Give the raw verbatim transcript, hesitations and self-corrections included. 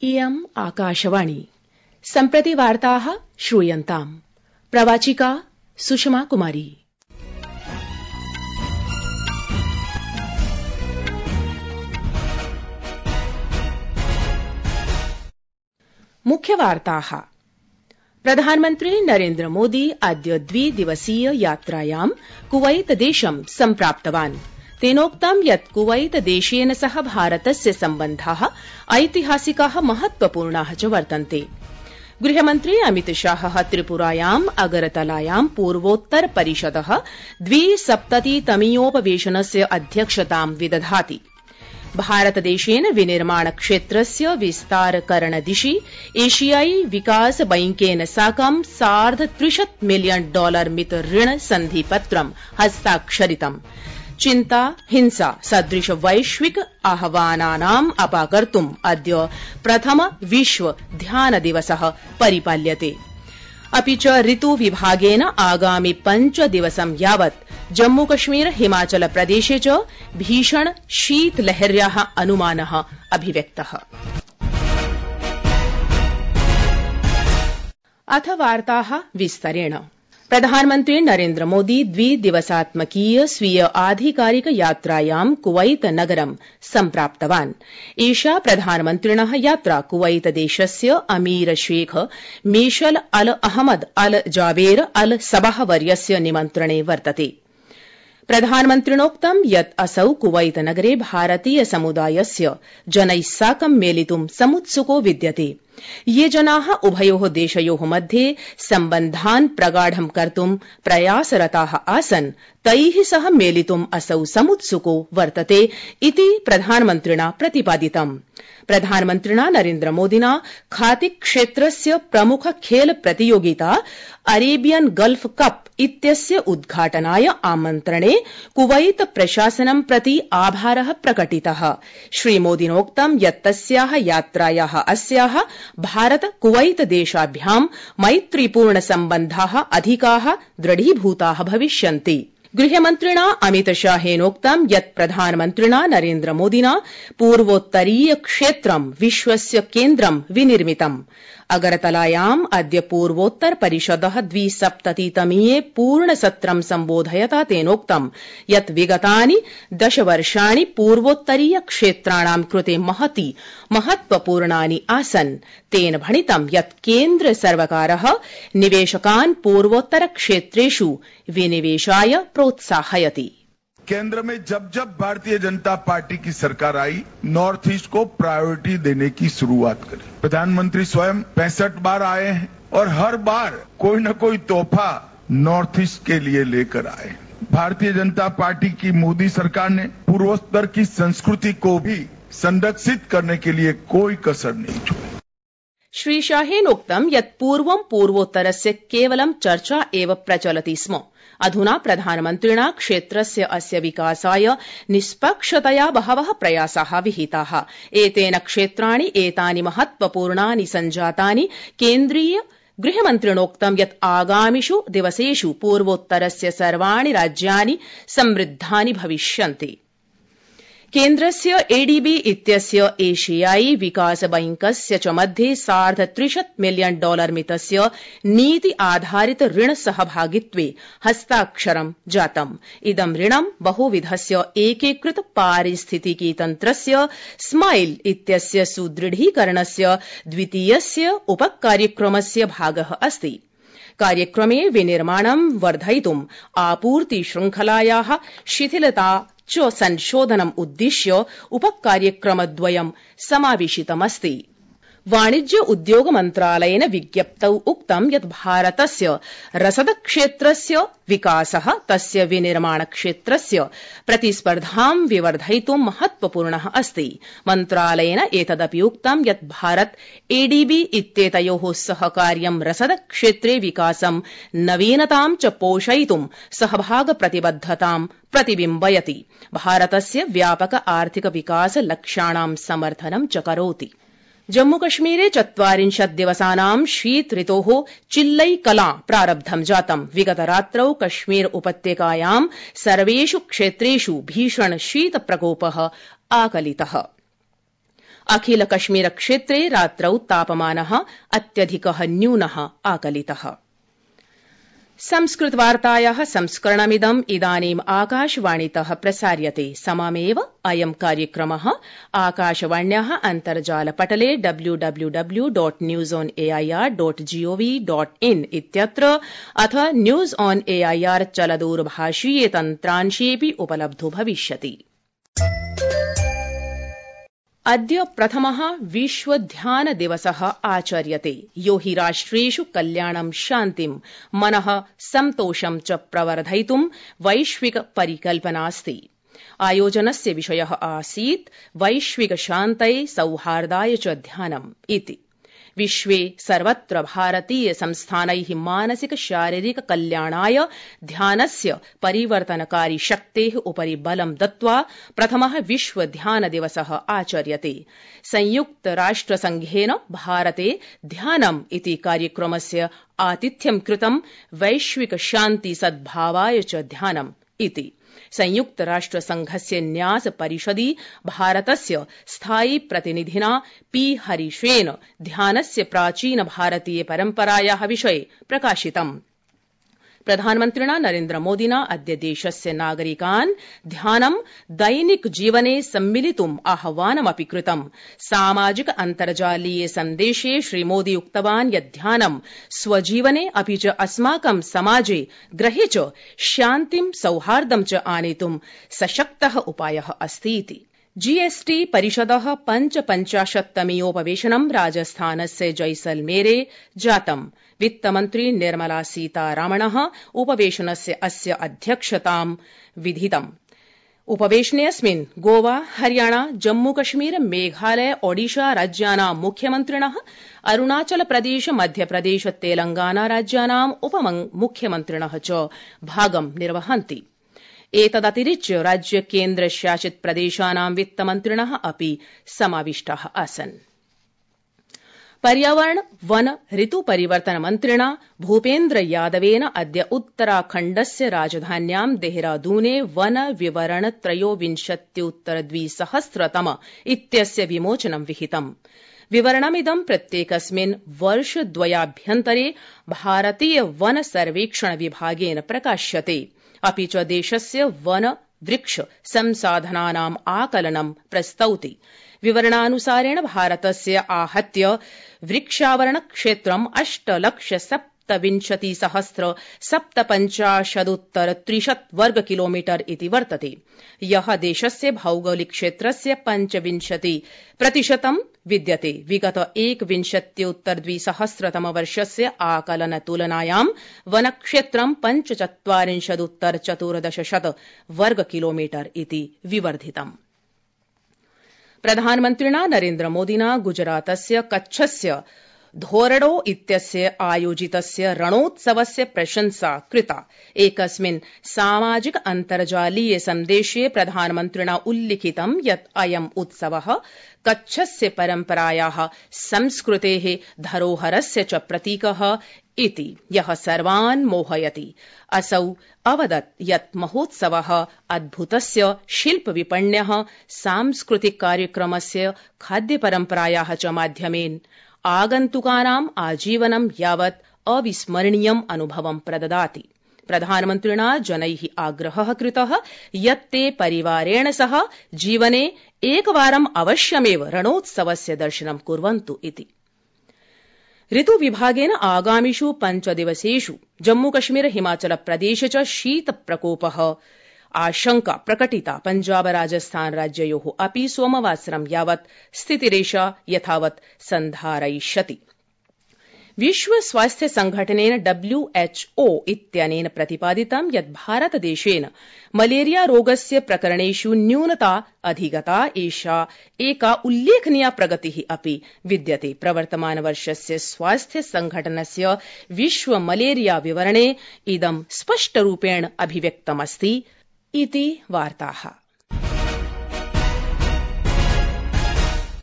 इयम् आकाशवाणी सम्प्रति वार्ताः श्रूयन्ताम् प्रवाचिका सुषमा कुमारी। मुख्यवार्ताः। प्रधानमन्त्री नरेन्द्र मोदी अद्य द्विदिवसीय यात्रायां कुवैत देशं सम्प्राप्तवान्। तेनोक्तं यत् कुवैत देशेन सह भारतस्य सम्बन्धाः ऐतिहासिकाः महत्वपूर्णाः च वर्तन्ते। गृहमन्त्री अमित शाहः त्रिपुरायाम् अगरतलायां पूर्वोत्तर परिषदः द्विसप्ततितमीयोपवेशनस्य अध्यक्षतां विदधाति। भारतदेशेन विनिर्माण क्षेत्रस्य विस्तारकरण दिशि एशियाई विकास बैंकेन साकं सार्ध त्रिशत् मिलियन डॉलर मित ऋण सन्धिपत्रं हस्ताक्षरितम्। चिन्ता हिंसा सदृश वैश्विक आह्वानानाम् अपाकर्तुम् अद्य प्रथम विश्व ध्यान दिवसः परिपाल्यते। अपि च ऋतु विभागेन आगामि पञ्च दिवसं यावत् जम्मूकश्मीर हिमाचल प्रदेशे च भीषण शीतलहर्याः अनुमानः अभिव्यक्तः। अथ वार्ताः विस्तरेण। प्रधानमन्त्री नरेन्द्र मोदी द्विदिवसात्मकीय स्वीय आधिकारिक यात्रायां कुवैत नगरं सम्प्राप्तवान्। एषा प्रधानमन्त्रिणः यात्रा कुवैत देशस्य अमीर शेख मेशल अल अहमद अल जावेर अल सबह वर्यस्य निमन्त्रणे वर्तते। प्रधानमन्त्रिणोक्तं यत् असौ कुवैत नगरे भारतीय समुदायस्य जनैः साकं मेलितुं समुत्सुको विद्यते। ये जनाः उभयोः देशयोः मध्ये सम्बन्धान् प्रगाढं कर्तुं प्रयासरताः आसन् तैः सह मेलितुम् असौ समुत्सुको वर्तते इति प्रधानमन्त्रिणा प्रतिपादितम्। प्रधानमन्त्रिणा नरेन्द्र मोदिना खातिक क्षेत्रस्य प्रमुख खेल प्रतियोगिता अरेबियन गल्फ कप इत्यस्य उद्घाटनाय आमन्त्रणे कुवैत प्रशासनं प्रति आभारः प्रकटितः। श्रीमोदिनोक्तं यत् तस्याः यात्रायाः अस्याः भारत कुवैत देशाभ्यां मैत्रीपूर्ण सम्बन्धाः अधिकाः दृढीभूताः भविष्यन्ति। गृहमन्त्रिणा अमित शाहेनोक्तं यत् प्रधानमन्त्रिणा नरेन्द्र मोदिना पूर्वोत्तरीय क्षेत्रं विश्वस्य केन्द्रं विनिर्मितम्। अगरतलायाम् अद्य पूर्वोत्तर परिषदः द्विसप्ततितमीये पूर्णसत्रं सम्बोधयता तेनोक्तं यत् विगतानि दशवर्षाणि पूर्वोत्तरीय क्षेत्राणां कृते महती महत्वपूर्णानि आसन्। तेन भणितं यत् केन्द्र सर्वकारः निवेशकान् पूर्वोत्तर क्षेत्रेषु विनिवेशाय प्रोत्साहयति। केंद्र में जब जब भारतीय जनता पार्टी की सरकार आई, नॉर्थ ईस्ट को प्रायोरिटी देने की शुरुआत करी। प्रधानमंत्री स्वयं पैंसठ बार आए हैं और हर बार कोई न कोई तोहफा नॉर्थ ईस्ट के लिए लेकर आए। भारतीय जनता पार्टी की मोदी सरकार ने पूर्वोत्तर की संस्कृति को भी संरक्षित करने के लिए कोई कसर नहीं छोड़ी। श्री शाहेनोक्तं यत् पूर्वं पूर्वोत्तरस्य केवलं चर्चा एव प्रचलति स्म। अधुना प्रधानमन्त्रिणा क्षेत्रस्य अस्य विकासाय निष्पक्षतया बहवः प्रयासाः विहिताः। एतेन क्षेत्राणि एतानि महत्वपूर्णानि सञ्जातानि। केन्द्रीय गृहमन्त्रिणोक्तं यत् आगामिषु दिवसेषु पूर्वोत्तरस्य सर्वाणि राज्यानि समृद्धानि भविष्यन्ति। केन्द्रस्य एडीबी इत्यस्य एशियाई विकास बैंकस्य च मध्ये सार्ध त्रिशत् मिलियन डॉलर मितस्य नीति आधारित ऋण सहभागित्वे हस्ताक्षरं जातम्। इदं ऋणं बहुविधस्य एकीकृत पारिस्थितिकी तन्त्रस्य स्माइल इत्यस्य सुदृढीकरणस्य द्वितीयस्य उपकार्यक्रमस्य भागः अस्ति। कार्यक्रमे विनिर्माणं वर्धयितुम् आपूर्ति शृङ्खलायाः शिथिलता च संशोधनम् उद्दिश्य उपकार्यक्रमद्वयं समावेशितमस्ति। वाणिज्य उद्योग मन्त्रालयेन विज्ञप्तौ उक्तं यत् भारतस्य रसद क्षेत्रस्य विकासः तस्य विनिर्माण क्षेत्रस्य प्रतिस्पर्धां विवर्धयितुं महत्वपूर्णः अस्ति। मन्त्रालयेन एतदपि उक्तं यत् भारत एडीबी इत्येतयोः सहकार्यं रसद क्षेत्रे विकासं नवीनतां च पोषयितुं सहभाग प्रतिबद्धतां प्रतिबिम्बयति। भारतस्य व्यापक आर्थिक विकास लक्ष्याणां समर्थनं च करोति। जम्मूकश्मीरे चत्वारिंशत् दिवसानां शीत ऋतोः चिल्लै कलां प्रारब्धं जातम्। विगतरात्रौ कश्मीर उपत्यकायां सर्वेषु क्षेत्रेषु भीषण शीत प्रकोपः आकलितः। अखिल कश्मीर क्षेत्रे रात्रौ तापमानः अत्यधिकः न्यूनः आकलितः। संस्कृतवार्तायाः संस्करणमिदम् इदानीम् आकाशवाणीतः प्रसार्यते। सममेव अयं कार्यक्रमः आकाशवाण्याः अन्तर्जालपटले W W W dot news on AIR dot gov dot in इत्यत्र अथ न्यूज ऑन एआईआर चलदूरभाषीये तन्त्रांशेऽपि उपलब्धो भविष्यति। अद्य प्रथमः विश्व ध्यान दिवसः आचर्यते। यो हि राष्ट्रेषु कल्याणं शान्तिं मनः सन्तोषं च प्रवर्धयितुं वैश्विक परिकल्पनास्ति। आयोजनस्य विषयः आसीत् वैश्विक शान्तये सौहार्दाय च ध्यानम् इति। विश्वे सर्वत्र भारतीय संस्थानैः मानसिक शारीरिक कल्याणाय ध्यानस्य परिवर्तनकारी शक्तेः उपरि बलं दत्त्वा प्रथमः विश्व ध्यान दिवसः आचर्यते। संयुक्त राष्ट्र संघेन भारते ध्यानम् इति कार्यक्रमस्य आतिथ्यं कृतं वैश्विक शान्ति सद्भावाय च ध्यानम् इति। संयुक्त राष्ट्र संघस्य न्यास परिषदि भारतस्य स्थायी प्रतिनिधिना पी हरीशेन ध्यानस्य प्राचीन भारतीय परम्परायाः विषये प्रकाशितम्। प्रधानमन्त्रिणा नरेन्द्र मोदिना अद्य देशस्य नागरिकान् ध्यानं दैनिक जीवने सम्मिलितुम् आह्वानमपि कृतम्। सामाजिक अन्तर्जालीय सन्देशे श्रीमोदी उक्तवान् यत् ध्यानं स्वजीवने अपि च अस्माकं समाजे गृहे च शान्तिं सौहार्दं च आनेतुं सशक्तः उपायः अस्तीति। जीएसटी परिषदः पञ्चपञ्चाशत्तमीयोपवेशनं राजस्थानस्य जैसलमेरे जातम्। वित्तमन्त्री निर्मला सीतारामणः उपवेशनस्य अस्य अध्यक्षतां विधितम्। उपवेशनेऽस्मिन् गोवा, हरियाणा, जम्मूकश्मीर, मेघालय, ओडिशा राज्यानां मुख्यमन्त्रिणः, अरुणाचल प्रदेश, मध्यप्रदेश, तेलंगाना राज्यानाम् उपमुख्यमन्त्रिणः च भागं निर्वहन्ति। एतदतिरिच्य राज्य केन्द्रशासित प्रदेशानां वित्तमन्त्रिणः अपि समाविष्टाः आसन्। पर्यावरण वन ऋतु परिवर्तन मन्त्रिणा भूपेन्द्र यादवेन अद्य उत्तराखण्डस्य राजधान्यां देहरादूने वन विवरण त्रयोविंशत्युत्तर द्विसहस्रतम इत्यस्य विमोचनं विहितम्। विवरणमिदं प्रत्येकस्मिन् वर्षद्वयाभ्यन्तरे भारतीय वन सर्वेक्षण विभागेन प्रकाश्यते। अपि च देशस्य वन वृक्ष संसाधनानाम् आकलनं प्रस्तौति। विवरणानुसारेण भारतस्य आहत्य वृक्षावरण क्षेत्रम् अष्टलक्ष सप्तविंशति सहस्र सप्तपञ्चाशदुत्तर त्रिशत् वर्ग किलोमीटर इति वर्तते। यः देशस्य भौगोलिक क्षेत्रस्य पञ्चविंशति प्रतिशतं विद्यते। विगत एकविंशत्युत्तर द्विसहस्रतम वर्षस्य आकलन तुलनायां वनक्षेत्रं पञ्चचत्वारिंशदुत्तर चतुर्दशशत वर्ग किलोमीटर इति विवर्धितम्। प्रधानमन्त्रिणा नरेन्द्र मोदिना गुजरातस्य कच्छस्य धोरडो इत्यस्य आयोजितस्य रणोत्सवस्य प्रशंसा कृता। एकस्मिन् सामाजिक अन्तर्जालीय सन्देशे प्रधानमन्त्रिणा उल्लिखितं यत् अयम् उत्सवः कच्छस्य परम्परायाः संस्कृतेः धरोहरस्य च प्रतीकः इति, यः सर्वान् मोहयति। असौ अवदत् यत् महोत्सवः अद्भुतस्य शिल्पविपण्यः सांस्कृतिक कार्यक्रमस्य खाद्यपरम्परायाः च माध्यमेन आगन्तुकानाम् आजीवनं यावत् अविस्मरणीयम् अनुभवं प्रददाति। प्रधानमन्त्रिणा जनैः आग्रहः कृतः यत् ते परिवारेण सह जीवने एकवारम् अवश्यमेव रणोत्सवस्य दर्शनं कुर्वन्तु इति। ऋतुविभागेन आगामिषु पञ्चदिवसेषु जम्मूकश्मीर हिमाचल प्रदेश च शीतप्रकोपः आशंका प्रकटिता। पञ्जाब राजस्थान राज्ययोः अपि सोमवासरं यावत् स्थितिरेषा यथावत् सन्धारयिष्यति। विश्व स्वास्थ्य संघटनेन डब्ल्यूएचओ इत्यनेन प्रतिपादितं यत् भारतदेशेन मलेरिया रोगस्य प्रकरणेषु न्यूनता अधिगता। एषा एका उल्लेखनीया प्रगतिः अपि विद्यते। प्रवर्तमानवर्षस्य स्वास्थ्य संघटनस्य विश्व मलेरिया विवरणे इदं स्पष्टरूपेण अभिव्यक्तमस्ति इति वार्ताः।